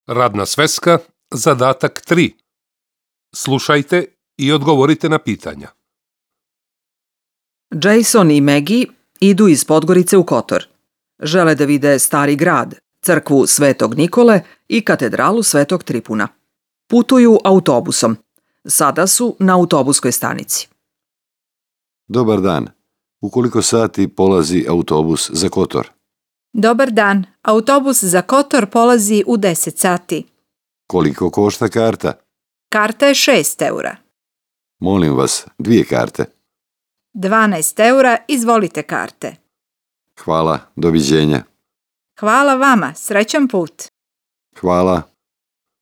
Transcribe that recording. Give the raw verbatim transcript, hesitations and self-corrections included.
Radna sveska, zadatak tri. Slušajte i odgovorite na pitanja. Jason i Maggie idu iz Podgorice u Kotor. Žele da vide Stari grad, crkvu Svetog Nikole i katedralu Svetog Tripuna. Putuju autobusom. Sada su na autobuskoj stanici. Dobar dan. U koliko sati polazi autobus za Kotor? Dobar dan. Autobus za Kotor polazi u deset sati. Koliko košta karta? Karta je šest eura. Molim vas, dvije karte. dvanaest eura, izvolite karte. Hvala, doviđenja. Hvala vama, srećan put. Hvala.